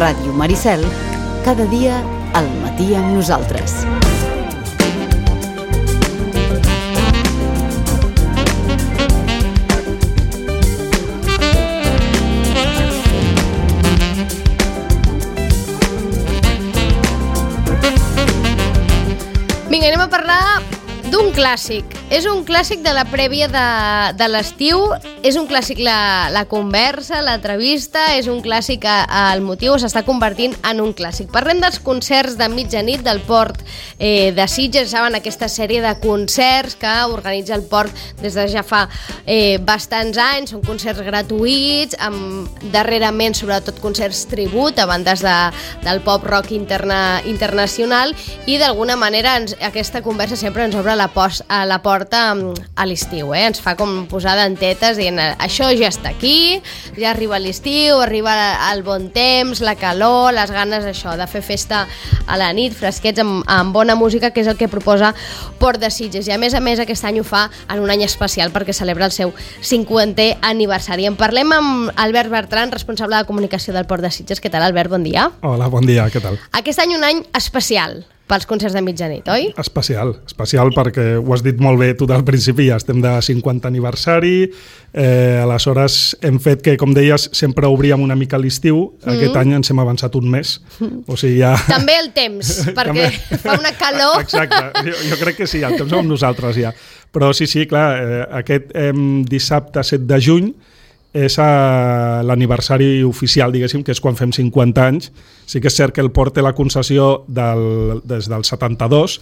Ràdio Maricel, cada dia al matí amb nosaltres. Vinga, anem a parlar d'un clàssic. És un clàssic de la prèvia de l'estiu, és un clàssic la conversa, l'entrevista, és un clàssic el motiu, s'està convertint en un clàssic. Parlem dels concerts de mitjanit del Port de Sitges, saben, aquesta sèrie de concerts que organitza el Port des de ja fa bastants anys, són concerts gratuïts, darrerament sobretot concerts tribut a bandes del pop rock internacional, i d'alguna manera aquesta conversa sempre ens obre la porta a l'estiu, ens fa com posar dentetes dient això ja està aquí, ja arriba l'estiu, arriba el bon temps, la calor, les ganes d'això, de fer festa a la nit, fresquets amb bona música, que és el que proposa Port de Sitges, i a més aquest any ho fa en un any especial perquè celebra el seu 50è aniversari. En parlem amb Albert Bertran, responsable de comunicació del Port de Sitges. Què tal, Albert? Bon dia. Hola, bon dia, què tal? Aquest any un any especial pels concerts de mitjanit, oi? Especial perquè ho has dit molt bé tu del principi, ja estem de 50 aniversari, aleshores hem fet que, com deies, sempre obríem una mica l'estiu, aquest any ens hem avançat un mes, o sigui ja... També el temps, perquè fa una calor... Exacte, jo crec que sí, el temps som nosaltres ja, però sí, clar, aquest dissabte 7 de juny és l'aniversari oficial, diguéssim, que és quan fem 50 anys. Sí que és cert que el Port té la concessió des del 72,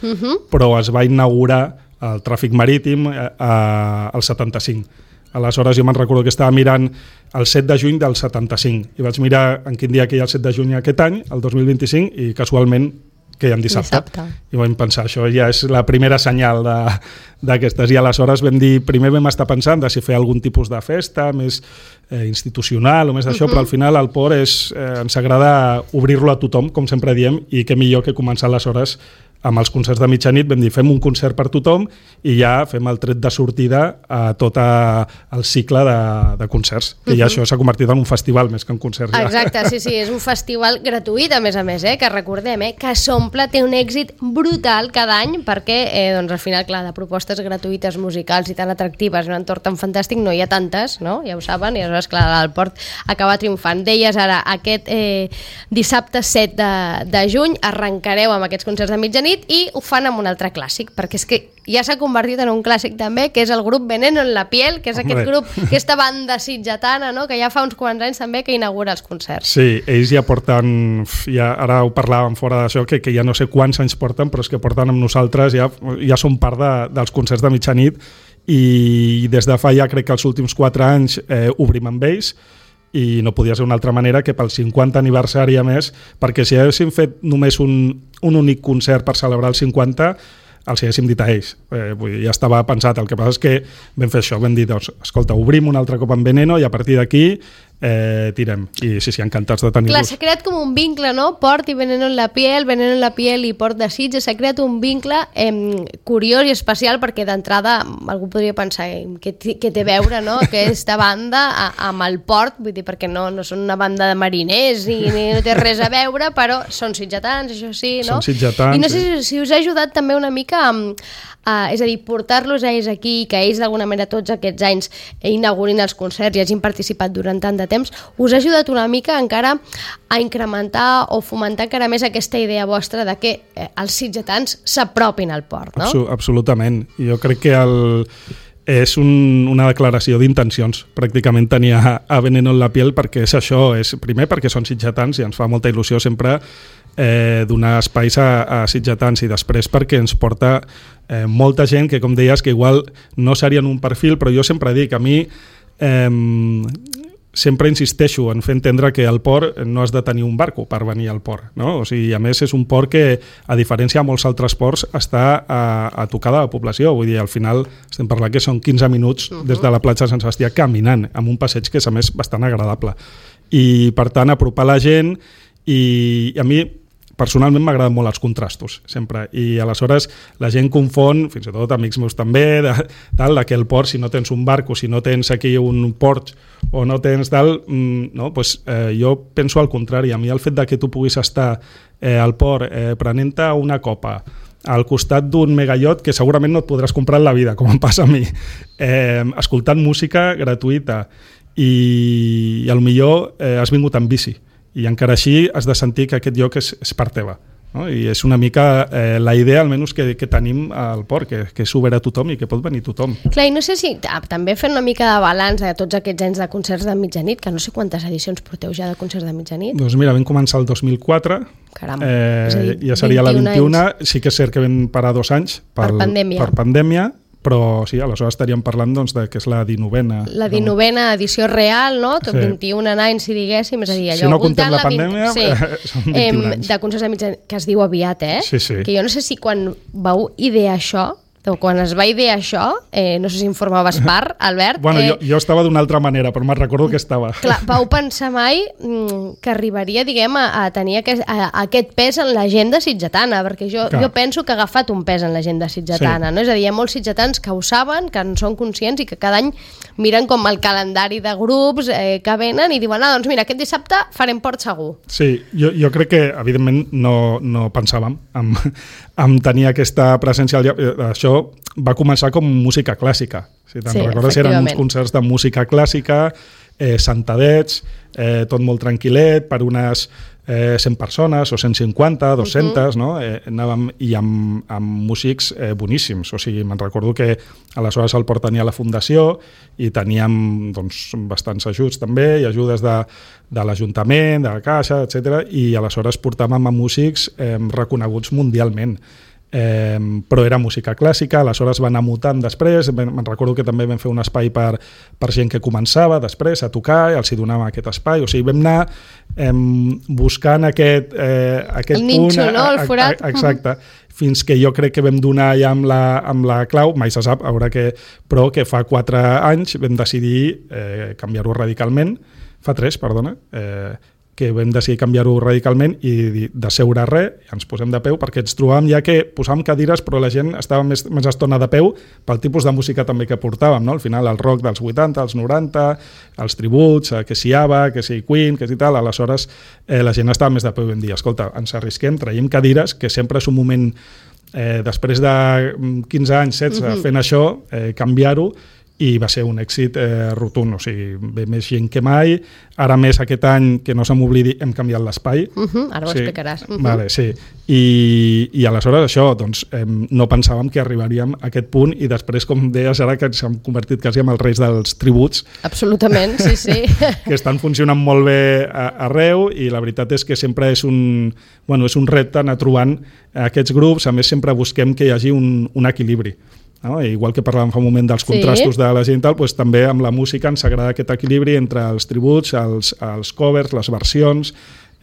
però es va inaugurar el tràfic marítim al 75. Aleshores jo me'n recordo que estava mirant el 7 de juny del 75 i vaig mirar en quin dia que hi ha el 7 de juny aquest any, el 2025, i casualment que hi ha dissabte. I vam pensar, això ja és la primera senyal d'aquestes. I aleshores primer vam estar pensant de si fer algun tipus de festa més institucional o més d'això, però al final el Port ens agrada obrir-lo a tothom, com sempre diem, i què millor que començar aleshores amb els concerts de mitjanit. Vam dir, fem un concert per tothom i ja fem el tret de sortida a tot el cicle de concerts, que ja això s'ha convertit en un festival més que en concert. Exacte, sí, és un festival gratuït, a més, que recordem, que s'omple, té un èxit brutal cada any, perquè doncs, al final, clar, de propostes gratuïtes musicals i tan atractives, un entorn tan fantàstic, no hi ha tantes, no? Ja ho saben, i aleshores, clar, el Port acaba triomfant. Deies ara, aquest dissabte 7 de juny arrencareu amb aquests concerts de mitjanit i ho fan amb un altre clàssic, perquè és que ja s'ha convertit en un clàssic també, que és el grup Veneno en la piel, que és aquest grup, aquesta banda sitgetana, no? Que ja fa uns quants anys també que inaugura els concerts. Sí, ells ja porten, ara ho parlàvem fora d'això, que ja no sé quants anys porten, però és que porten amb nosaltres, ja són part dels concerts de mitjanit, i des de fa ja crec que els últims 4 anys obrim amb ells, i no podia ser una altra manera que pel 50 aniversari a més, perquè si haguéssim fet només un únic concert per celebrar el 50, els haguéssim dit a ells. Ja estava pensat, el que passa és que vam fer això, vam dir, doncs, escolta, obrim un altre cop amb Veneno i a partir d'aquí tirem. I sí, encantats de tenir-los. Clar, s'ha creat com un vincle, no? Port i Veneno en la piel i Port de Sitges, s'ha creat un vincle curiós i especial, perquè d'entrada algú podria pensar què té a veure, no? Aquesta banda amb el Port, vull dir, perquè no són una banda de mariners i no té res a veure, però són sitgetans, això sí, no? Són sitgetans. I no sé si us ha ajudat també una mica és a dir, portar-los a ells aquí, que ells d'alguna manera tots aquests anys inaugurin els concerts i hagin participat durant tant de temps, us ha ajudat una mica encara a incrementar o fomentar encara més aquesta idea vostra de que els sitgetans s'apropin al Port, no? Absolutament. Jo crec que és una declaració d'intencions, pràcticament tenir a Veneno en la piel, perquè és això, primer perquè són sitgetans i ens fa molta il·lusió sempre donar espais a sitgetans, i després perquè ens porta molta gent que, com deies, que igual no serien un perfil, però jo sempre dic, a mi sempre insisteixo en fer entendre que al Port no has de tenir un barco per venir al Port, no? O sigui, a més és un port que, a diferència de molts altres ports, està a tocar de la població, vull dir, al final estem parlant que són 15 minuts des de la platja de Sant Sebastià caminant, amb un passeig que és a més bastant agradable, i per tant apropar la gent. I a mi personalment m'agraden molt els contrastos, sempre, i aleshores la gent confon, fins i tot amics meus també, de que el port, si no tens un barco, si no tens aquí un port o no tens tal, no, pues, jo penso al contrari. A mi el fet de que tu puguis estar al port prenent-te una copa al costat d'un megallot que segurament no et podràs comprar en la vida, com em passa a mi, escoltant música gratuïta i potser has vingut en bici i encara així has de sentir que aquest lloc és part teva. No? I és una mica la idea, almenys, que tenim al port, que és obert a tothom i que pot venir tothom. Clar, i no sé si també fent una mica de balanç de tots aquests anys de concerts de mitjanit, que no sé quantes edicions porteu ja de concerts de mitjanit. Doncs mira, vam començar el 2004, caram, ja seria la 21, sí que és cert que vam parar 2 anys per pandèmia, però sí, aleshores estaríem parlant doncs, de que és la 19a. La 19a edició real, no? Tot 21 anys, si diguéssim, és a dir, allò... Si no comptem la pandèmia, són 21 anys. De concerts de mitjanit, que es diu aviat, Sí, sí. Que jo no sé si quan vau idear això, o quan es va idear això, no sé si informaves part, Albert... Bueno, jo estava d'una altra manera, però me'n recordo que estava. Clar, vau pensar mai que arribaria, diguem, a tenir aquest pes en l'agenda sitgetana, perquè jo penso que ha agafat un pes en l'agenda sitgetana, no? És a dir, hi ha molts sitgetans que ho saben, que en són conscients i que cada any miren com el calendari de grups que venen i diuen, doncs mira, aquest dissabte farem port segur. Sí, jo crec que, evidentment, no pensàvem en tenir aquesta presència. Això va començar com música clàssica. Si te'n recordes, eren uns concerts de música clàssica, sentadets, tot molt tranquil·let, per unes 100 persones o 150, 200, no? Anàvem i amb músics boníssims. O sigui, me'n recordo que aleshores el port tenia la fundació i teníem doncs, bastants ajuts també, i ajudes de l'Ajuntament, de la Caixa, etc. I aleshores portàvem a músics reconeguts mundialment. Però era música clàssica, aleshores va anar mutant després, me'n recordo que també vam fer un espai per gent que començava després a tocar i els hi donàvem aquest espai, o sigui, vam anar buscant aquest el punt, ninxo, no? El forat. Exacte, fins que jo crec que vam donar ja amb la clau, mai se sap, però que fa 4 anys vam decidir canviar-ho radicalment, fa 3, perdona, que vam decidir canviar-ho radicalment i de seure res, ens posem de peu, perquè ens trobàvem ja que posàvem cadires, però la gent estava més estona de peu pel tipus de música també que portàvem, no? Al final el rock dels 80, els 90, els tributs, que si ABBA, que si Queen, que si tal, aleshores la gent estava més de peu i vam dir, escolta, ens arrisquem, traiem cadires, que sempre és un moment, després de 15 anys, 16, fent això, canviar-ho, i va ser un èxit rotund, o sigui, ve més gent que mai. Ara més aquest any, que no se m'oblidi, hem canviat l'espai. Ara ho explicaràs. Vale, sí. I aleshores això, doncs, no pensàvem que arribaríem a aquest punt i després, com deies ara, que s'han convertit quasi en els reis dels tributs. Absolutament, sí. Que estan funcionant molt bé arreu i la veritat és que sempre és un repte anar trobant aquests grups. A més, sempre busquem que hi hagi un equilibri. No? Igual que parlàvem fa un moment dels contrastos de la gent i tal, doncs també amb la música ens agrada aquest equilibri entre els tributs, els covers, les versions,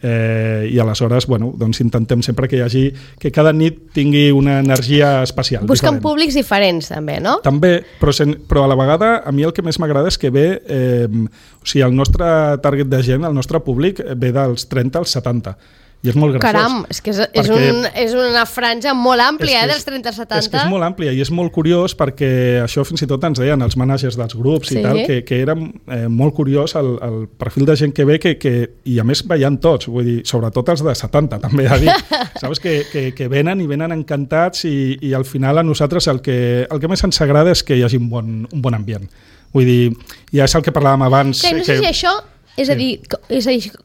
i aleshores doncs intentem sempre que hi hagi, que cada nit tingui una energia especial. Busquen públics diferents també, no? També, però a la vegada a mi el que més m'agrada és que ve, o sigui, el nostre target de gent, el nostre públic ve dels 30 als 70. I és molt graciós. Caram, és que és una franja molt àmplia, dels 30 als 70. És que és molt àmplia i és molt curiós perquè això fins i tot ens deien els managers dels grups i tal, que era molt curiós el perfil de gent que ve i a més veien tots, vull dir, sobretot els de 70 també he de dir, saps? Que venen i venen encantats i al final a nosaltres el que més ens agrada és que hi hagi un bon ambient. Vull dir, ja és el que parlàvem abans. No sé si això... És a dir,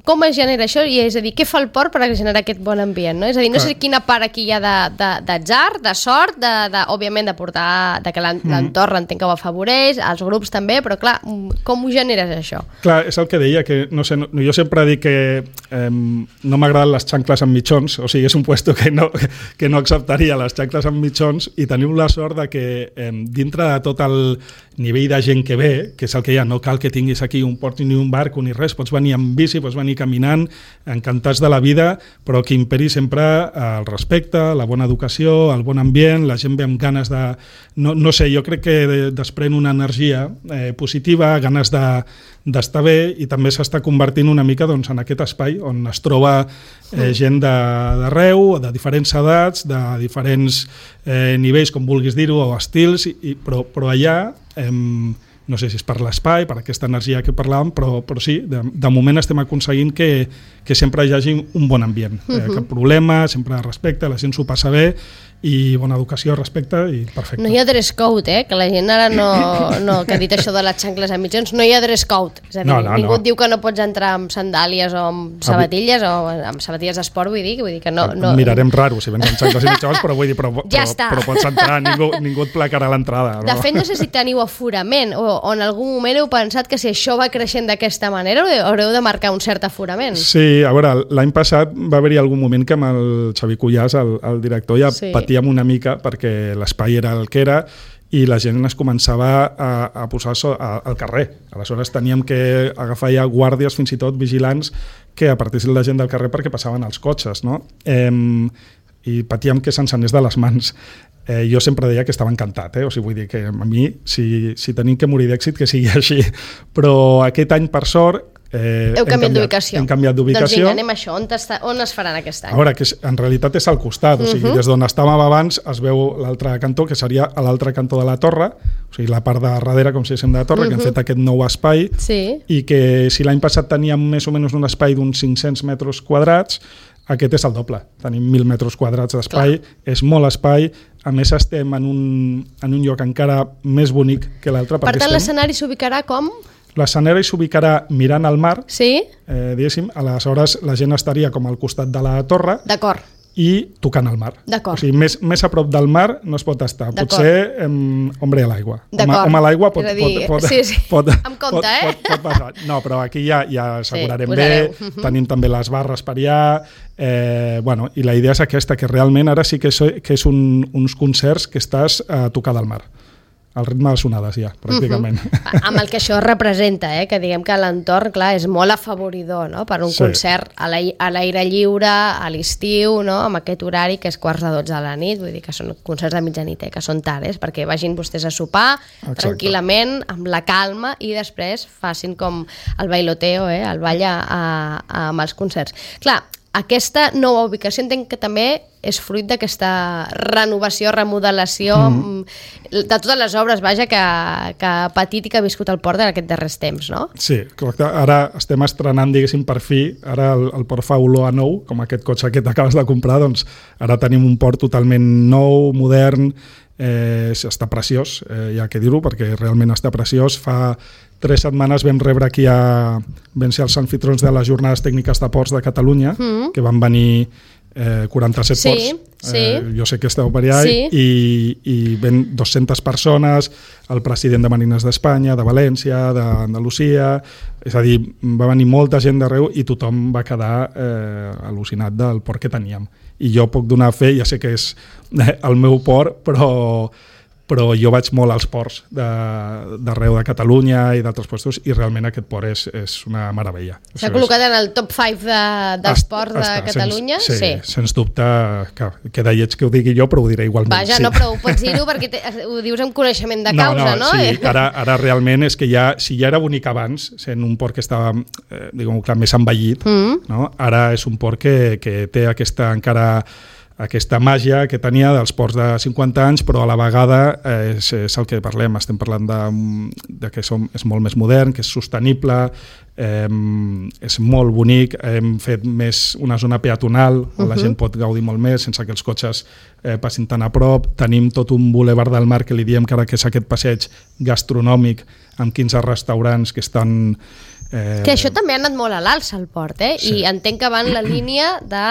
com es genera això? I és a dir, què fa el port per generar aquest bon ambient? No? És a dir, no sé quina part aquí hi ha d'atzar, de sort, òbviament de portar, que l'entorn entenc que ho afavoreix, els grups també, però clar, com ho generes això? Clar, és el que deia, que no sé, jo sempre dic que no m'agraden les xancles amb mitjons, o sigui, és un puesto que no acceptaria les xancles amb mitjons i tenim la sort de que dintre de tot nivell de gent que ve, que és el que hi ha, no cal que tinguis aquí un port ni un barco ni res, pots venir amb bici, pots venir caminant, encantats de la vida, però que imperi sempre el respecte, la bona educació, el bon ambient, la gent ve amb ganes de... No sé, jo crec que desprèn una energia positiva, ganes d'estar bé, i també s'està convertint una mica doncs, en aquest espai on es troba gent d'arreu, de diferents edats, de diferents nivells, com vulguis dir-ho, o estils, però allà, no sé si és per l'espai, per aquesta energia que parlàvem, però sí, de moment estem aconseguint que sempre hi hagi un bon ambient. Cap problema, sempre respecte, la gent s'ho passa bé, i bona educació, respecte, i perfecte. No hi ha dress code, que la gent ara no que ha dit això de les xancles a mitjons, no hi ha dress code, és a dir, ningú et diu que no pots entrar amb sandàlies o amb sabatilles o amb sabatilles d'esport, vull dir que no... Mirarem raro si vens amb xancles i mitjons, però vull dir, però pots entrar, ningú et placarà l'entrada. De fet, no sé si teniu aforament o en algun moment heu pensat que si això va creixent d'aquesta manera haureu de marcar un cert aforament. Sí, a veure, l'any passat va haver-hi algun moment que amb el Xavi Cuyàs, el director, ja patíem una mica perquè l'espai era el que era i la gent es començava a posar al carrer. Aleshores teníem que agafar ja guàrdies, fins i tot vigilants, que apartessin la gent del carrer perquè passaven els cotxes, no? I patíem que se'ns anés de les mans. Jo sempre deia que estava encantat, o sigui, vull dir que a mi, si tenim que morir d'èxit, que sigui així. Però aquest any, per sort, Heu canviat d'ubicació. Hem canviat d'ubicació. Doncs vinga, anem a això. On es faran aquest any? A veure, que en realitat és al costat, o sigui, des d'on estàvem abans es veu l'altre cantó, que seria a l'altre cantó de la torre, o sigui, la part de darrere, com si diguéssim, de la torre, que hem fet aquest nou espai, i que si l'any passat teníem més o menys un espai d'uns 500 metres quadrats, aquest és el doble. Tenim 1.000 metres quadrats d'espai, és molt espai, a més estem en un lloc encara més bonic que l'altre. Per tant, l'escenari s'ubicarà com? L'escenari s'ubicarà mirant al mar, diguéssim, aleshores la gent estaria com al costat de la torre i tocant al mar. O sigui, més a prop del mar no es pot estar. Potser hombre a l'aigua. Home a l'aigua pot passar. No, però aquí ja assegurarem bé, tenim també les barres per allà, i la idea és aquesta, que realment ara sí que és uns concerts que estàs a tocar del mar. Al ritme de sonades ja, pràcticament. Amb el que això representa, que diguem que l'entorn, clar, és molt afavoridor, no?, per un concert a l'aire lliure, a l'estiu, no?, amb aquest horari que és 11:45 de la nit, vull dir que són concerts de mitjanit, que són tares, perquè vagin vostès a sopar tranquil·lament, amb la calma, i després facin com el bailoteo, el ball amb els concerts. Clar, aquesta nova ubicació entenc que també és fruit d'aquesta renovació, remodelació de totes les obres, vaja, que ha patit i que ha viscut el port en aquests darrers temps, no? Sí, correcte. Ara estem estrenant, diguéssim, per fi, ara el port fa olor a nou, com aquest cotxe que t'acabes de comprar, doncs ara tenim un port totalment nou, modern, està preciós, hi ha que dir-ho, perquè realment està preciós. Fa 3 setmanes vam rebre aquí vam ser els anfitrions de les jornades tècniques de ports de Catalunya, que van venir 47 ports, jo sé que esteu per allà, i ven 200 persones, el president de Marines d'Espanya, de València, d'Andalusia, és a dir, va venir molta gent d'arreu i tothom va quedar al·lucinat del port que teníem. I jo puc donar fe, ja sé que és el meu port, però jo vaig molt als ports d'arreu de Catalunya i d'altres puestos, i realment aquest port és una meravella. S'ha col·locat en el top 5 dels ports de Catalunya? Sí, sens dubte, queda lleig que ho digui jo, però ho diré igualment. Vaja, no, però ho pots dir-ho perquè ho dius amb coneixement de causa, no? Sí, ara realment és que si ja era bonic abans, sent un port que estava, diguem-ho clar, més envellit, ara és un port que té aquesta màgia que tenia dels ports de 50 anys, però a la vegada és el que parlem, estem parlant de que és molt més modern, que és sostenible, és molt bonic, hem fet més una zona peatonal on la gent pot gaudir molt més sense que els cotxes passin tan a prop. Tenim tot un bulevard del mar que li diem que ara que és aquest passeig gastronòmic amb 15 restaurants que estan Que això també ha anat molt a l'alça al port, i entenc que va en la línia de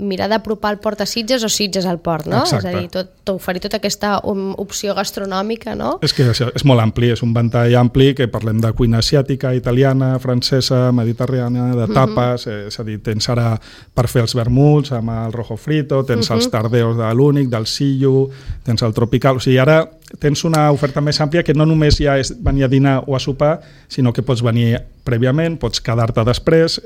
mirar d'apropar el port a Sitges o Sitges al port, no? Exacte. És a dir, oferir tota aquesta opció gastronòmica, no? És que és molt ampli, és un ventall ampli que parlem de cuina asiàtica, italiana, francesa, mediterrània, de tapes, és a dir, tens ara per fer els vermuts amb el rojo frito, tens els tardeos de l'únic, del sillo, tens el tropical, o sigui, ara tens una oferta més àmplia que no només ja és venir a dinar o a sopar, sinó que pots venir prèviament, pots quedar-te després,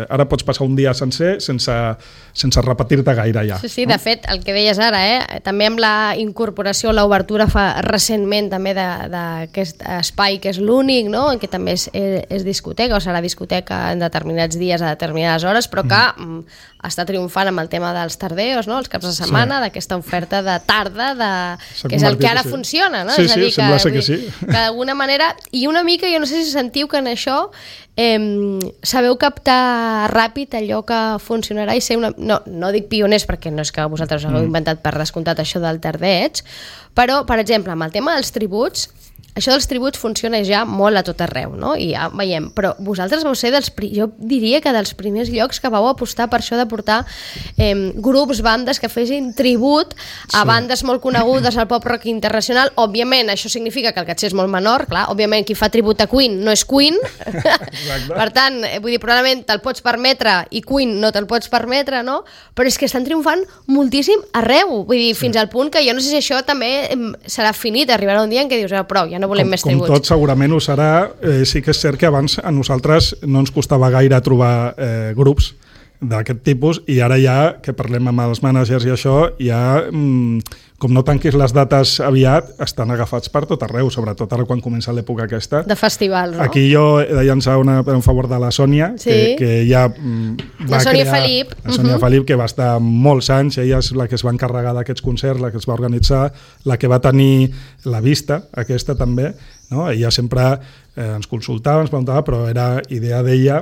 ara pots passar un dia sencer sense repetir-te gaire ja. Sí, de fet, el que deies ara, també amb la incorporació, l'obertura recentment també d'aquest espai que és l'únic, no? En què també és discoteca, o serà discoteca en determinats dies a determinades hores, però que està triomfant amb el tema dels tardeos, no? Els caps de setmana, d'aquesta oferta de tarda, que és el que ara funciona, no? Sí, és a dir, sembla ser que sí. Que d'alguna manera, i una mica, jo no sé si sentiu que en això sabeu captar ràpid allò que funcionarà i ser no dic pioners perquè no és que vosaltres us hagueu inventat per descomptat això del tardeig, però per exemple amb el tema dels tributs, això dels tributs funciona ja molt a tot arreu, no? I ja veiem, però vosaltres vau ser jo diria que dels primers llocs que vau apostar per això de portar grups, bandes que fessin tribut a bandes molt conegudes al pop rock internacional. Òbviament, això significa que el caché és molt menor, clar, òbviament qui fa tribut a Queen no és Queen, per tant, vull dir, probablement te'l pots permetre i Queen no te'l pots permetre, no? Però és que estan triomfant moltíssim arreu, vull dir, fins al punt que jo no sé si això també serà finit, arribarà un dia en què dius, prou, ja no volem més tributs. Com tot segurament ho serà, sí que és cert que abans a nosaltres no ens costava gaire trobar grups d'aquest tipus i ara ja que parlem amb els mànagers i això, ja com no tanquis les dates aviat, estan agafats per tot arreu, sobretot ara quan comença l'època aquesta. De festivals, no? Aquí jo he de llançar en favor de la Sònia, que ja va Sònia crear... Felip. La Sònia Felip, que va estar molts anys, ella és la que es va encarregar d'aquests concerts, la que es va organitzar, la que va tenir la vista, aquesta també, no? Ella sempre ens consultava, ens preguntava, però era idea d'ella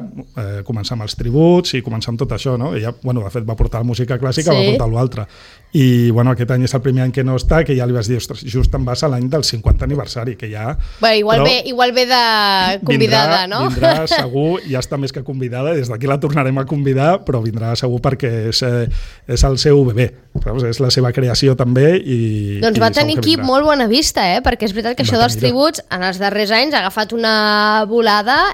començar amb els tributs i començar amb tot això, no? Ella, bueno, de fet, va portar la música clàssica, va portar l'altre. I, bueno, aquest any és el primer any que no està, que ja li vas dir, ostres, just em vas a l'any del 50 aniversari, que ja... Bé, igual ve de convidada, no? Vindrà segur, ja està més que convidada, des d'aquí la tornarem a convidar, però vindrà segur perquè és el seu bebè, saps? És la seva creació també i... Doncs va tenir aquí molt bona vista, perquè és veritat que això dels tributs en els darrers anys ha agafat una volada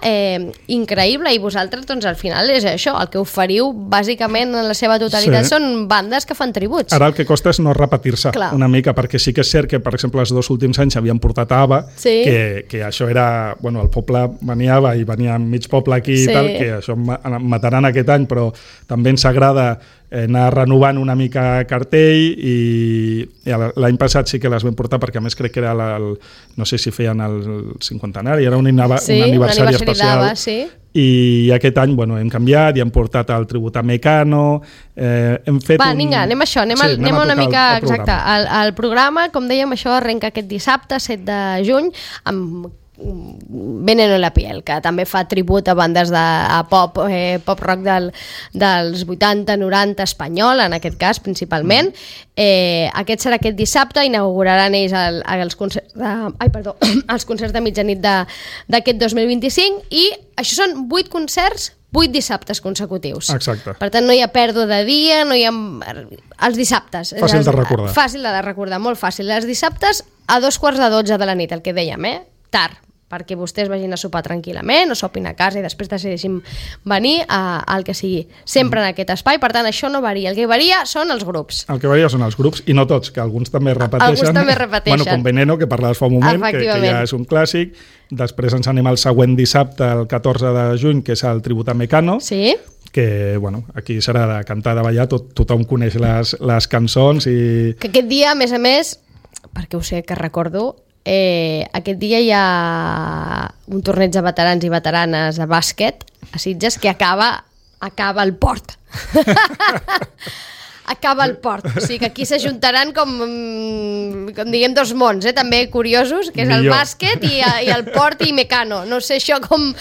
increïble i vosaltres, doncs al final és això, el que oferiu bàsicament en la seva totalitat són bandes que fan tributs. Ara el que costa és no repetir-se una mica, perquè sí que és cert que, per exemple, els 2 últims anys havien portat a ABBA, que això era... Bueno, el poble venia i venia mig poble aquí i tal, que això mataran aquest any, però també ens agrada anar renovant una mica cartell i l'any passat sí que les vam portar perquè a més crec que era no sé si feien el 50anari, era un aniversari especial i aquest any hem canviat i hem portat el tribut a Mecano, hem fet vinga, anem a això, anem una mica exacte, el programa, com dèiem, això arrenca aquest dissabte 7 de juny amb Veneno en la piel, que també fa tribut a bandes de pop rock dels 80, 90 espanyol, en aquest cas principalment. Aquest serà aquest dissabte, inauguraran ells els concerts de mitjanit d'aquest 2025 i això són 8 concerts 8 dissabtes consecutius. Exacte. Per tant, no hi ha pèrdua de dia, no hi ha... Els dissabtes. Fàcil de recordar. Fàcil de recordar, molt fàcil. Els dissabtes a 12:45 de la nit, el que dèiem, tard, perquè vostès vagin a sopar tranquil·lament o sopin a casa i després decideixin venir al que sigui. Sempre en aquest espai, per tant, això no varia. El que varia són els grups. El que varia són els grups, i no tots, que alguns també repeteixen. Alguns també repeteixen. Bueno, com Veneno, que parlaves fa un moment, que ja és un clàssic. Després ens anem al següent dissabte, el 14 de juny, que és el tribut a Mecano. Sí. Que, aquí serà de cantar, de ballar, tothom coneix les cançons i... Que aquest dia, a més, perquè ho sé que recordo, aquest dia hi ha un torneig de veterans i veteranes de bàsquet a Sitges que acaba al port. acaba el port. O sigui que aquí s'ajuntaran com diguem, dos mons, també curiosos, que és el bàsquet i el port i Mecano. No sé això com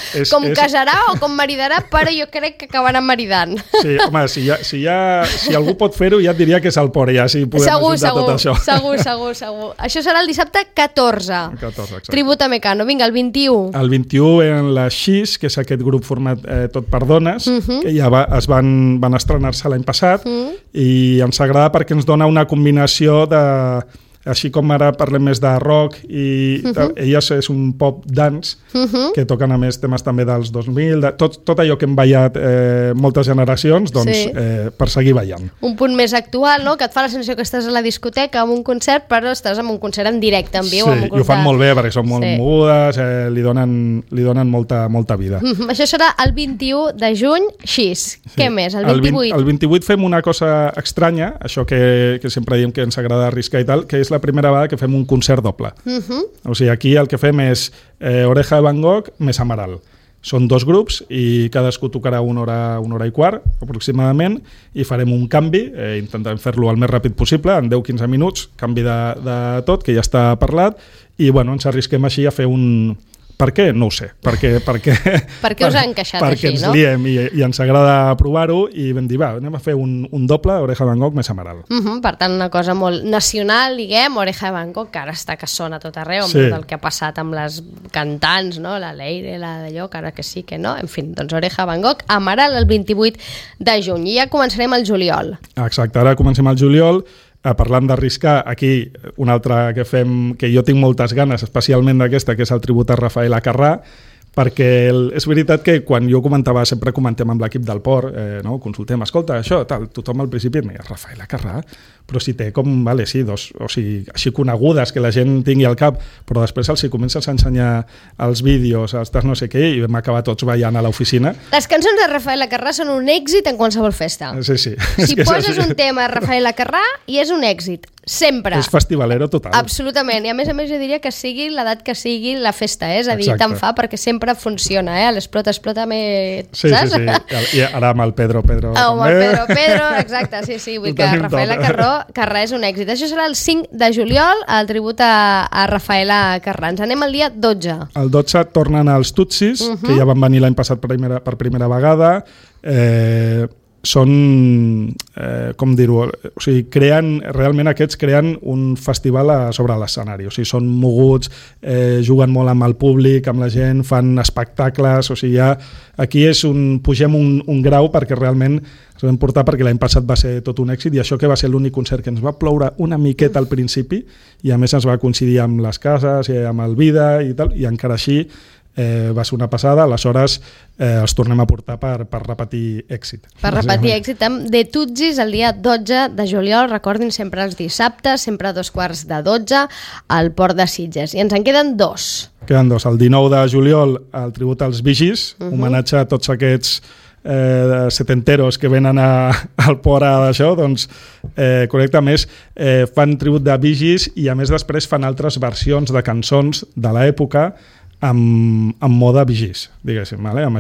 casarà o com maridarà, però jo crec que acabaran maridant. Sí, home, si algú pot fer-ho, ja et diria que és el port, ja si podem ajuntar tot això. Segur. Això serà el dissabte 14. Tribut a Mecano. Vinga, el 21. El 21 eren les Xis, que és aquest grup format tot per dones, que ja es van estrenar-se l'any passat, i ens agrada perquè ens dona una combinació de... Així com ara parlem més de rock i elles és un pop dance que toquen a més temes també dels 2000, tot allò que hem ballat moltes generacions, doncs per seguir ballant. Un punt més actual, no? Que et fa la sensació que estàs a la discoteca amb un concert, però estàs en un concert en directe, en viu. Sí, i ho fan molt bé perquè són molt mogudes, li donen molta vida. Això serà el 21 de juny, Xis. Què més? El 28? El 28 fem una cosa estranya, això que sempre diem que ens agrada arriscar i tal, que és la primera vegada que fem un concert doble. O sigui, aquí el que fem és Oreja de Van Gogh més Amaral. Són dos grups i cadascú tocarà una hora i quart, aproximadament, i farem un canvi, intentarem fer-lo el més ràpid possible, en 10-15 minuts, canvi de tot, que ja està parlat, i bueno, ens arrisquem així a fer un... Per què? No ho sé. Per què us ha encaixat perquè així, no? No? Perquè ens liem i ens agrada provar-ho i vam dir, va, anem a fer un doble Oreja de Van Gogh més Amaral. Per tant, una cosa molt nacional, diguem, Oreja de Van Gogh, que ara està que sona a tot arreu, amb tot el que ha passat amb les cantants, no? La Leire, la d'allò, que ara que sí, que no. En fi, doncs Oreja de Van Gogh, Amaral, el 28 de juny. I ja començarem el juliol. Exacte, ara comencem el juliol. Parlant d'arriscar, aquí una altra que fem, que jo tinc moltes ganes, especialment d'aquesta, que és el tribut a Rafael Acarrà, perquè és veritat que quan jo comentava, sempre comentem amb l'equip del port, no? Consultem, escolta, això, tal, tothom al principi em deia, Rafael Acarrà, però si té com, vale, sí, dos, o sigui, així conegudes, que la gent tingui al cap, però després els comences a ensenyar els vídeos, els no sé què, i vam acabar tots ballant a l'oficina. Les cançons de Rafael Acarrà són un èxit en qualsevol festa. Sí. Si poses un tema a Rafael Acarrà, i és un èxit. Sempre. És festivalero total. Absolutament. I a més jo diria que sigui l'edat que sigui la festa, és a dir, tant fa perquè sempre funciona, l'explota sí, saps? Sí. I ara amb el Pedro amb el Pedro, exacte, sí. Vull que Rafael Acarrà és un èxit. Això serà el 5 de juliol, el tribut a Rafael Acarrà. Ens anem al dia 12. El 12 tornen els Tutsis, que ja van venir l'any passat per primera vegada. Són, com dir-ho, o sigui, realment aquests creen un festival sobre l'escenari, o sigui, són moguts, juguen molt amb el públic, amb la gent, fan espectacles, o sigui, aquí pugem un grau perquè realment ens vam portar, perquè l'any passat va ser tot un èxit, i això que va ser l'únic concert que ens va ploure una miqueta al principi, i a més ens va coincidir amb les cases, i amb el Vida i tal, i encara així va ser una passada, aleshores els tornem a portar per repetir èxit. Per repetir èxit amb The Tutsis el dia 12 de juliol, recordin, sempre els dissabtes, sempre a 2:45 al Port de Sitges. I ens en queden dos. Queden dos. El 19 de juliol el tribut als Vigis, homenatge a tots aquests setenteros que venen al port d'això, doncs correcte, a més fan tribut de Vigis i a més després fan altres versions de cançons de l'època amb moda Vigis, diguéssim, amb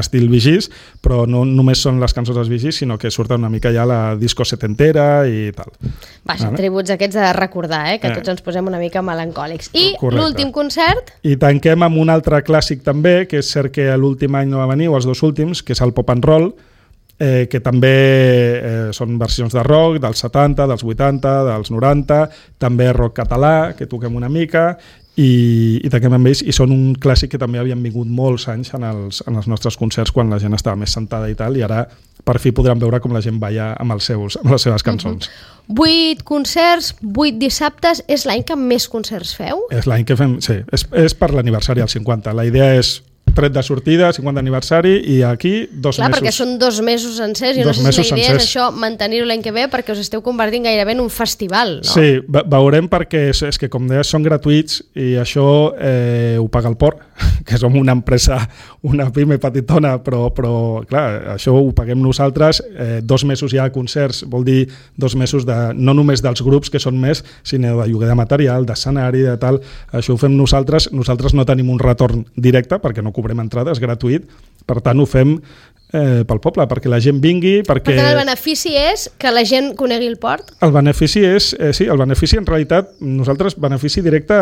estil Vigis, però no només són les cançons dels Vigis, sinó que surten una mica ja la disco setentera i tal. Vaja, tributs aquests de recordar, que tots ens posem una mica melancòlics. I l'últim concert? I tanquem amb un altre clàssic també, que és cert que l'últim any no va venir, o els dos últims, que és el Pop and Roll, que també són versions de rock dels 70, dels 80, dels 90, també rock català, que toquem una mica, i tanquem amb ells, i són un clàssic que també havien vingut molts anys en els nostres concerts quan la gent estava més sentada i tal, i ara per fi podran veure com la gent balla amb les seves cançons. 8 concerts, 8 dissabtes, és l'any que més concerts feu? És l'any que fem, sí, és per l'aniversari al 50, la idea és tret de sortida, 50 aniversari, i aquí 2 mesos. Clar, perquè són 2 mesos sencers, i no sé si la idea és això, mantenir-ho l'any que ve, perquè us esteu convertint gairebé en un festival, no? Sí, veurem, perquè és que, com deies, són gratuïts, i això ho paga el port, que som una empresa, una pime petitona, però clar, això ho paguem nosaltres. 2 mesos ja de concerts, vol dir 2 mesos no només dels grups, que són més, sinó de lloguer de material, d'escenari, de tal. Això ho fem nosaltres no tenim un retorn directe, perquè no cobrem entrada, és gratuït, per tant ho fem pel poble, perquè la gent vingui, perquè... Per tant, el benefici és que la gent conegui el port? El benefici és, sí, el benefici en realitat, nosaltres benefici directe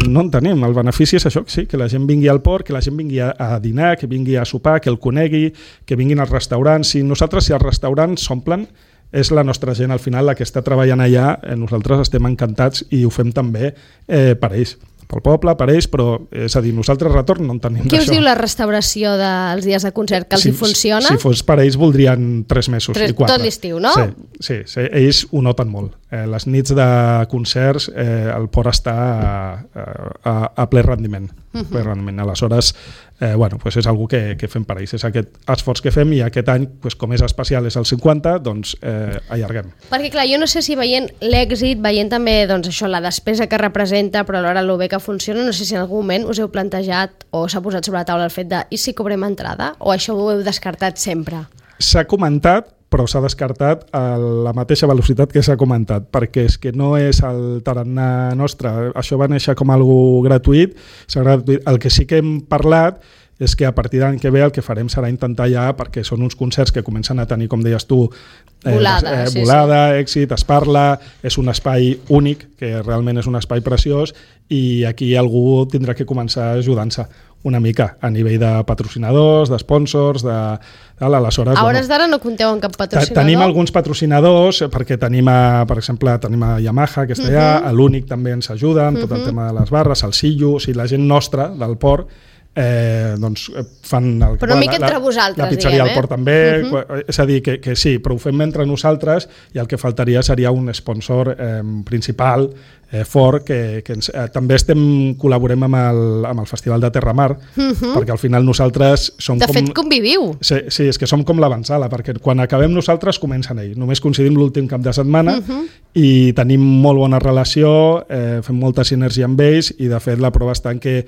no en tenim. El benefici és això, sí, que la gent vingui al port, que la gent vingui a dinar, que vingui a sopar, que el conegui, que vinguin als restaurants. Si els restaurants s'omplen, és la nostra gent al final la que està treballant allà, nosaltres estem encantats i ho fem també per ells. Pel poble, per ells, però és a dir, nosaltres retorn no en tenim d'això. Què us diu la restauració dels dies de concert? Que els hi funciona? Si fos per ells voldrien 3 mesos i 4. Tot l'estiu, no? Sí, ells ho noten molt. Les nits de concerts el port està a ple rendiment. Ple rendiment. Aleshores, és algo que fem per ells. És aquest esforç que fem i aquest any, com és especial, és el 50, doncs allarguem. Perquè clar, jo no sé si veient l'èxit, veient també això, la despesa que representa, però alhora el bé que funciona, no sé si en algun moment us heu plantejat o s'ha posat sobre la taula el fet de i si cobrem entrada? O això ho heu descartat sempre? S'ha comentat, però s'ha descartat a la mateixa velocitat que s'ha comentat, perquè és que no és el tarannà nostre. Això va néixer com algo gratuït. El que sí que hem parlat és que a partir de l'any que ve el que farem serà intentar ja, perquè són uns concerts que comencen a tenir, com deies tu, volada, èxit, es parla, és un espai únic, que realment és un espai preciós, i aquí algú tindrà que començar ajudant-se una mica a nivell de patrocinadors, de sponsors, aleshores... A hores d'ara no compteu amb cap patrocinador? Tenim alguns patrocinadors, perquè tenim, per exemple, a Yamaha, que està allà, l'Únic també ens ajuda amb tot el tema de les barres, el Sillo, o sigui, la gent nostra del port, doncs fan però mica entre vosaltres, la pizzeria al port també, és a dir, que sí, però ho fem entre nosaltres i el que faltaria seria un sponsor principal fort, que també col·laborem amb el Festival de Terramar, perquè al final nosaltres som de fet conviviu. Sí, és que som com l'avançala, perquè quan acabem nosaltres comencen ells, només coincidim l'últim cap de setmana i tenim molt bona relació, fem molta sinergia amb ells i de fet la prova està en que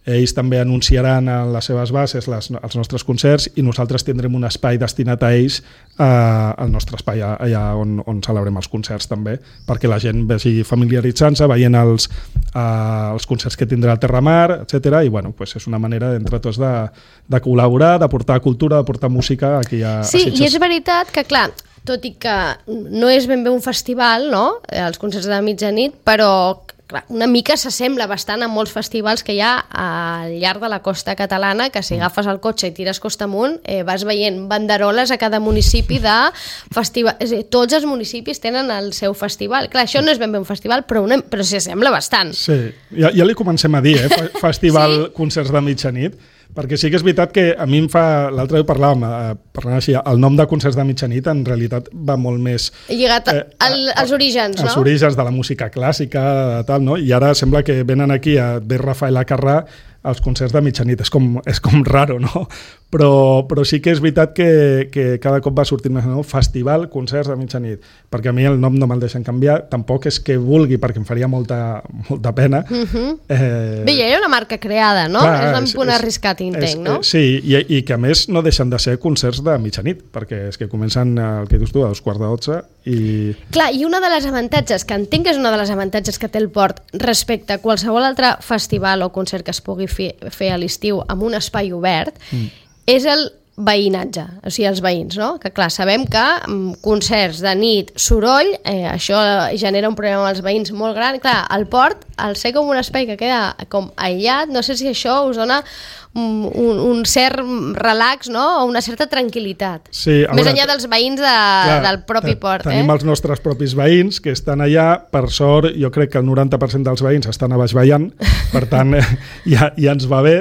ells també anunciaran a les seves bases els nostres concerts i nosaltres tindrem un espai destinat a ells al nostre espai allà on celebrem els concerts també, perquè la gent vagi familiaritzant-se, veient els concerts que tindrà el Terramar, etc. I és una manera entre tots de col·laborar, de portar cultura, de portar música aquí a Sitges. Sí, i és veritat que, clar, tot i que no és ben bé un festival, no?, els concerts de mitjanit, però una mica s'assembla bastant a molts festivals que hi ha al llarg de la costa catalana, que si agafes el cotxe i tires costa amunt, vas veient banderoles a cada municipi de festival. És a dir, tots els municipis tenen el seu festival. Clar, això no és ben bé un festival, però s'hi assembla bastant. Sí, ja li comencem a dir, festival concerts de mitjanit, perquè sí que és veritat que a mi em fa... L'altre dia parlant així, el nom de concerts de mitjanit en realitat va molt més... lligat als orígens, no? Els orígens de la música clàssica, tal, no? I ara sembla que venen aquí a ver Rafael Acarrà als concerts de mitjanit. És com raro, no? Però sí que és veritat que cada cop va sortint més, no? Festival, concerts de mitjanit. Perquè a mi el nom no me'l deixen canviar. Tampoc és que vulgui, perquè em faria molta pena. Bé, ja hi ha una marca creada, no? Clar, és un punt arriscat, entenc, no? Sí, i que a més no deixen de ser concerts de mitjanit, perquè és que comencen, el que dius tu, a 11:45 i... Clar, i una de les avantatges, que entenc que és una de les avantatges que té el port respecte a qualsevol altre festival o concert que es pugui fer a l'estiu amb un espai obert, és el veïnatge, o sigui, els veïns, no? Que clar, sabem que concerts de nit, soroll, això genera un problema amb els veïns molt gran. Clar, el port, al ser com un espai que queda com aïllat, no sé si això us dona un cert relax, no? O una certa tranquil·litat. Sí, més enllà dels veïns del propi port. Tenim els nostres propis veïns que estan allà. Per sort, jo crec que el 90% dels veïns estan a baix ballant, per tant, ja ens va bé.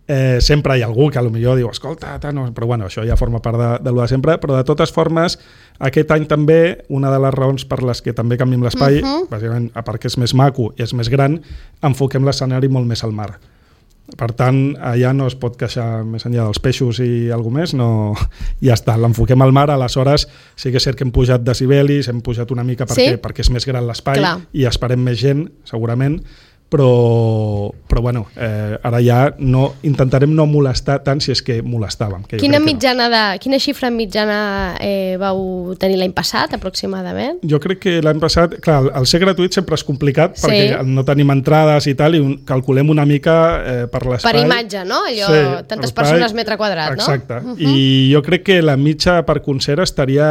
Sempre hi ha algú que potser diu escolta, però bueno, això ja forma part de lo de sempre, però de totes formes aquest any també una de les raons per les que també canviem l'espai, bàsicament a part que és més maco i és més gran, enfoquem l'escenari molt més al mar. Per tant, allà no es pot queixar més enllà dels peixos i alguna més, no, ja està, l'enfoquem al mar. Aleshores sí que és cert que hem pujat decibelis, hem pujat una mica perquè és més gran l'espai i esperem més gent, segurament, però bueno, ara ja intentarem no molestar tant si és que molestàvem. Quina xifra mitjana vau tenir l'any passat, aproximadament? Jo crec que l'any passat, clar, el ser gratuït sempre és complicat perquè no tenim entrades i tal, i calculem una mica per l'espai. Per imatge, no? Allò, tantes persones metre quadrat, no? Exacte. I jo crec que la mitja per concert estaria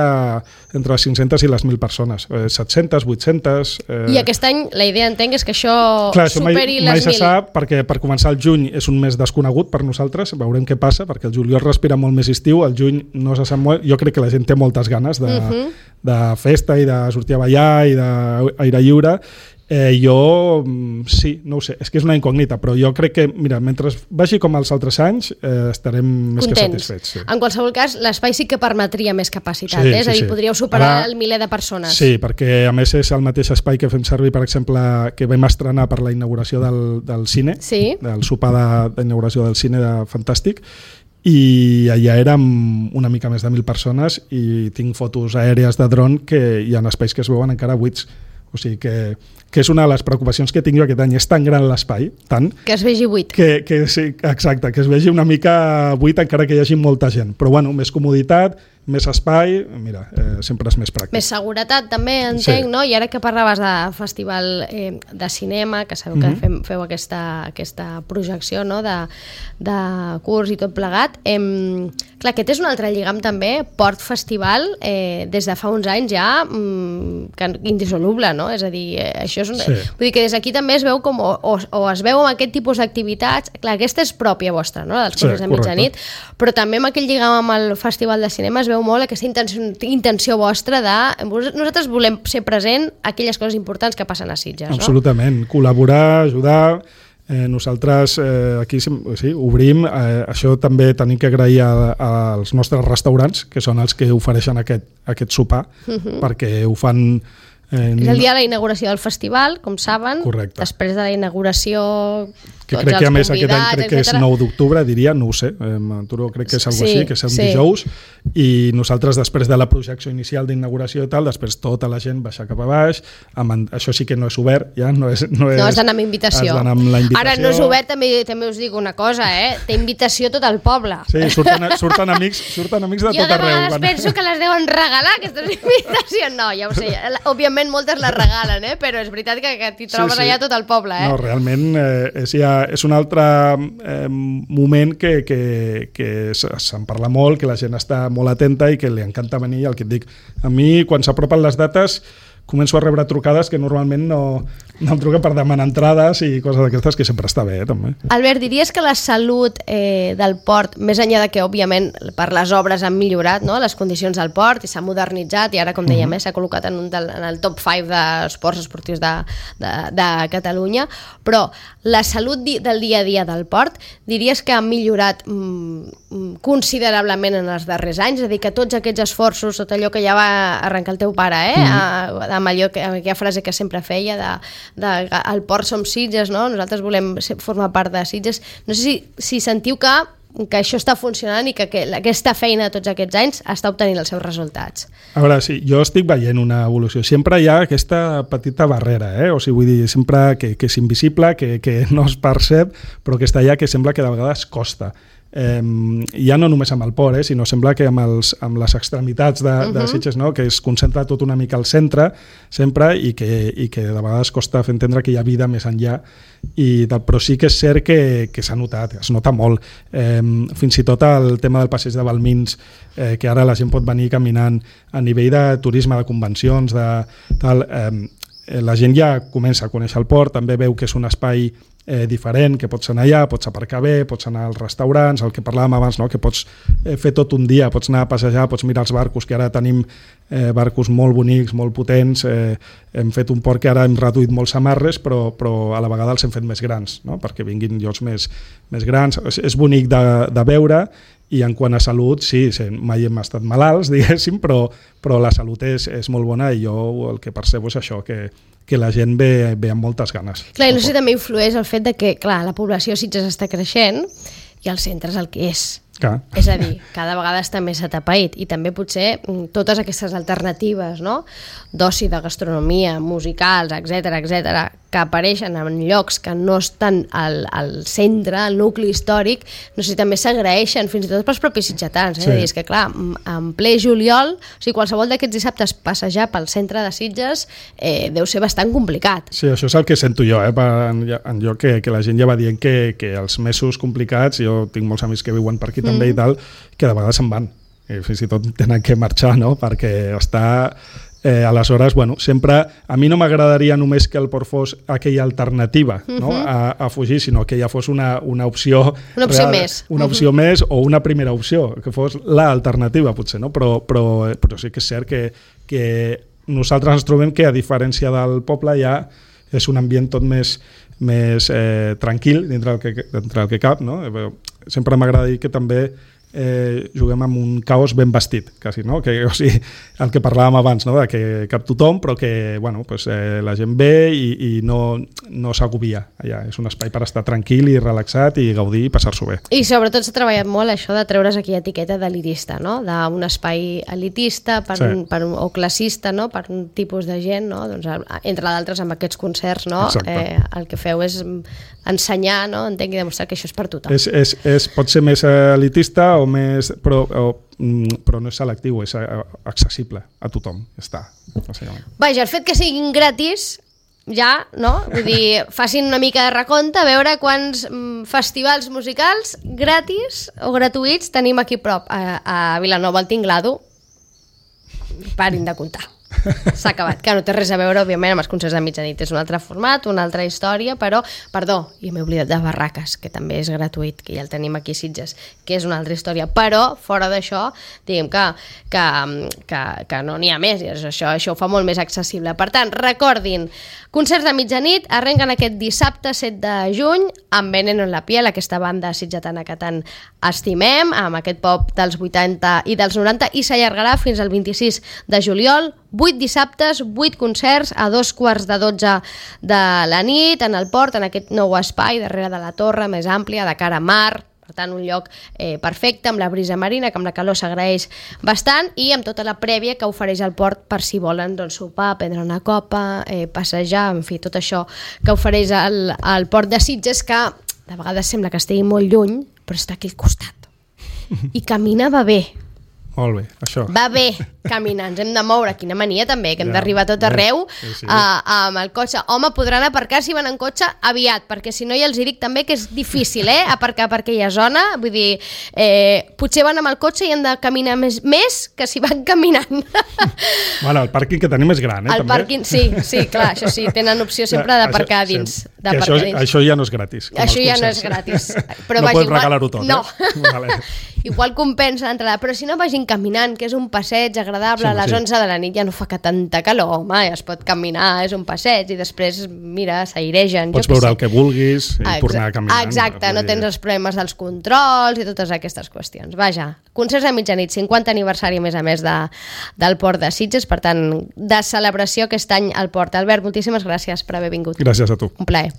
entre les 500 i les 1.000 persones. 700, 800... I aquest any la idea, entenc, és que això superi les 1.000. Mai se sap, perquè per començar el juny és un mes desconegut per nosaltres, veurem què passa, perquè el juliol respira molt més estiu, el juny no se sap molt, jo crec que la gent té moltes ganes de festa i de sortir a ballar i d'aire lliure. Jo, sí, no ho sé, és que és una incògnita, però jo crec que, mira, mentre vagi com els altres anys, estarem més que satisfets. Sí. En qualsevol cas, l'espai sí que permetria més capacitat, és a dir, podríeu superar el miler de persones. Sí, perquè a més és el mateix espai que fem servir, per exemple, que vam estrenar per la inauguració del cine, del sopar d'inauguració del cine de Fantàstic, i allà érem una mica més de 1.000 persones i tinc fotos aèries de dron que hi ha espais que es veuen encara buits. O sigui que és una de les preocupacions que tinc jo aquest any. És tan gran l'espai, tant... Que es vegi buit. Sí, exacte, que es vegi una mica buit encara que hi hagi molta gent. Però bueno, més comoditat, més espai, mira, sempre és més pràctic. Més seguretat també, entenc, no? I ara que parlaves de festival de cinema, que sabeu que feu aquesta projecció, no? de curs i tot plegat, clar, aquest és un altre lligam també, Port Festival, des de fa uns anys ja indissoluble, no? És a dir, això és vull dir que des d'aquí també es veu com o es veu amb aquest tipus d'activitats, clar, aquesta és pròpia vostra, no? Dels cursos de mitjanit, però també amb aquell lligam amb el Festival de Cinema es veu molt aquesta intenció vostra de... Nosaltres volem ser present a aquelles coses importants que passen a Sitges, no? Absolutament, col·laborar, ajudar. Nosaltres aquí obrim, això també tenim que agrair als nostres restaurants, que són els que ofereixen aquest sopar, perquè ho fan... És el dia de la inauguració del festival, com saben. Correcte. Després de la inauguració, que crec que a més aquest any crec que és 9 d'octubre, diria, no ho sé, crec que és alguna cosa així, que és un dijous, i nosaltres després de la projecció inicial d'inauguració i tal, després tota la gent baixa cap a baix, això sí que no és obert, ja no és has d'anar amb invitació. Ara no és obert, també us dic una cosa, té invitació tot el poble. Sí, surten amics de tot arreu. Jo de vegades penso que les deuen regalar, aquestes invitacions. No, ja ho sé, òbviament moltes les regalen, però és veritat que t'hi trobes allà tot el poble. No, realment és un altre moment que se'n parla molt, que la gent està molt atenta i que li encanta venir. El que et dic, a mi quan s'apropen les dates començo a rebre trucades que normalment no em truquen per demanar entrades i coses d'aquestes, que sempre està bé, també. Albert, diries que la salut del port, més enllà de que, òbviament, per les obres han millorat, no?, les condicions del port i s'ha modernitzat i ara, com dèiem, s'ha col·locat en el top 5 d'esports esportius de Catalunya, però la salut del dia a dia del port, diries que ha millorat considerablement en els darrers anys? És a dir, que tots aquests esforços, tot allò que ja va arrencar el teu pare, amb aquella frase que sempre feia al port som Sitges, no? Nosaltres volem formar part de Sitges. No sé si sentiu que això està funcionant i que aquesta feina de tots aquests anys està obtenint els seus resultats. A veure, sí, jo estic veient una evolució. Sempre hi ha aquesta petita barrera, o sigui, vull dir, sempre que és invisible, que no es percep, però que està allà, que sembla que de vegades costa. Ja no només amb el port, sinó sembla que amb les extremitats de Sitges, no? Que es concentra tot una mica al centre sempre i que de vegades costa fer entendre que hi ha vida més enllà, però sí que és cert que s'ha notat, es nota molt. Fins i tot el tema del passeig de Balmins, que ara la gent pot venir caminant a nivell de turisme, de convencions, la gent ja comença a conèixer el port, també veu que és un espai diferent, que pots anar allà, pots aparcar bé, pots anar als restaurants, el que parlàvem abans, no? Que pots fer tot un dia, pots anar a passejar, pots mirar els barcos, que ara tenim barcos molt bonics, molt potents, hem fet un port que ara hem reduït molts amarres, però a la vegada els hem fet més grans, no? Perquè vinguin llocs més grans. És bonic de veure, i en quant a salut, sí, mai hem estat malalts, diguéssim, però la salut és molt bona i jo el que percebo és això, que la gent ve amb moltes ganes. Clar, i no sé si també influeix el fet de que, clar, la població a Sitges està creixent i el centre és el que és. Clar. És a dir, cada vegada està més atapeït i també potser totes aquestes alternatives, no?, d'oci, de gastronomia, musicals, etc, que apareixen en llocs que no estan al centre, al nucli històric, no sé si també s'agraeixen fins i tot pels propis sitgetans. Sí. És que, clar, en ple juliol, o sigui, qualsevol d'aquests dissabtes passejar pel centre de Sitges deu ser bastant complicat. Sí, això és el que sento jo, en lloc que la gent ja va dient que els mesos complicats, jo tinc molts amics que viuen per aquí també i tal, que de vegades se'n van. I fins i tot tenen que marxar, no?, perquè està... aleshores, bueno, sempre a mi no m'agradaria només que el port fos aquella alternativa, no? a fugir, sinó que ja fos una opció una opció real, més una opció més o una primera opció, que fos l'alternativa potser, no? Però sí que és cert que nosaltres ens trobem que a diferència del poble ja és un ambient tot més tranquil dintre el que cap, no? Sempre m'agrada dir que també juguem amb un caos ben vestit, quasi, no? O sigui, el que parlàvem abans, no? De que cap tothom, però que bueno, pues, la gent ve i no s'agobia allà. És un espai per estar tranquil i relaxat i gaudir i passar-s'ho bé. I sobretot s'ha treballat molt això de treure's aquella etiqueta d'elitista, no? D'un espai elitista o classista, no? Per un tipus de gent, no? Doncs, entre d'altres amb aquests concerts, no? El que feu és ensenyar, no? Entenc, i demostrar que això és per tothom. Pot ser més elitista o més, però no és selectiu, és accessible a tothom, està. Vaja, el fet que siguin gratis ja, no? Vull dir, facin una mica de recompte a veure quants festivals musicals gratis o gratuïts tenim aquí prop a Vilanova, al Tinglado. Parin de comptar. S'ha acabat, que no té res a veure, òbviament, amb els concerts de mitjanit. És un altre format, una altra història, però, perdó, i m'he oblidat de Barraques, que també és gratuït, que ja el tenim aquí a Sitges, que és una altra història, però, fora d'això, diguem que no n'hi ha més, i això ho fa molt més accessible. Per tant, recordin, concerts de mitjanit arrenquen aquest dissabte 7 de juny amb Veneno en la piel, aquesta banda sitgetana que tant estimem, amb aquest pop dels 80 i dels 90, i s'allargarà fins al 26 de juliol, 8 dissabtes, 8 concerts a 2:15 de la nit en el port, en aquest nou espai darrere de la torre més àmplia, de cara a mar. Per tant, un lloc perfecte, amb la brisa marina, que amb la calor s'agraeix bastant, i amb tota la prèvia que ofereix el port per si volen sopar, prendre una copa, passejar, en fi, tot això que ofereix el port de Sitges, que de vegades sembla que estigui molt lluny, però està aquí al costat. I caminar va bé. Molt bé, això. Va bé caminar, ens hem de moure, quina mania també, que hem d'arribar a tot arreu amb el cotxe. Home, podran aparcar si van en cotxe aviat, perquè si no ja els dic també que és difícil aparcar per aquella zona, vull dir, potser van amb el cotxe i han de caminar més que si van caminant. Bueno, el pàrquing que tenim és gran, el també. Pàrquing, sí, clar, això sí, tenen opció sempre d'aparcar dins. Això ja no és gratis. Això ja no és gratis. No pots regalar-ho tot, no. Vale. Igual compensa l'entrada, però si no vagin caminant, que és un passeig agradable, a les 11 de la nit ja no fa que tanta calor, home, ja es pot caminar, és un passeig, i després, mira, s'airegen. Pots veure el que vulguis i tornar a caminar. Exacte, no tens els problemes dels controls i totes aquestes qüestions. Vaja, concerts a mitjanit, 50 aniversari a més del Port de Sitges, per tant, de celebració aquest any al Port. Albert, moltíssimes gràcies per haver vingut. Gràcies a tu. Un plaer.